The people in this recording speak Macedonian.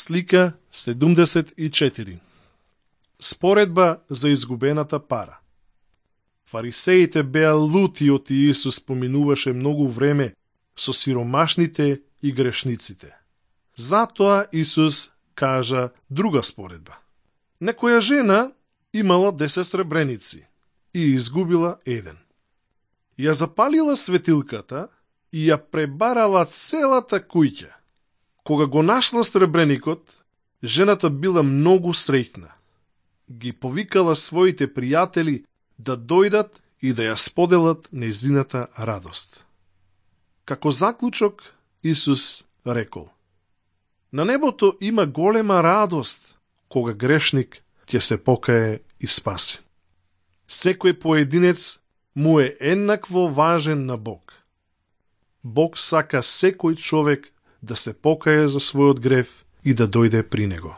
Слика 74. Споредба за изгубената пара. Фарисеите беа лути од Иисус поминуваше многу време со сиромашните и грешниците. Затоа Исус кажа друга споредба. Некоја жена имала 10 сребреници и изгубила еден. Ја запалила светилката и ја пребарала целата куќа. Кога го нашла сребреникот, жената била многу среќна. Ги повикала своите пријатели да дојдат и да ја споделат нејзината радост. Како заклучок, Исус рекол: на небото има голема радост кога грешник ќе се покае и спаси. Секој поединец му е еднакво важен на Бог. Бог сака секој човек да се покае за својот грев и да дојде при него.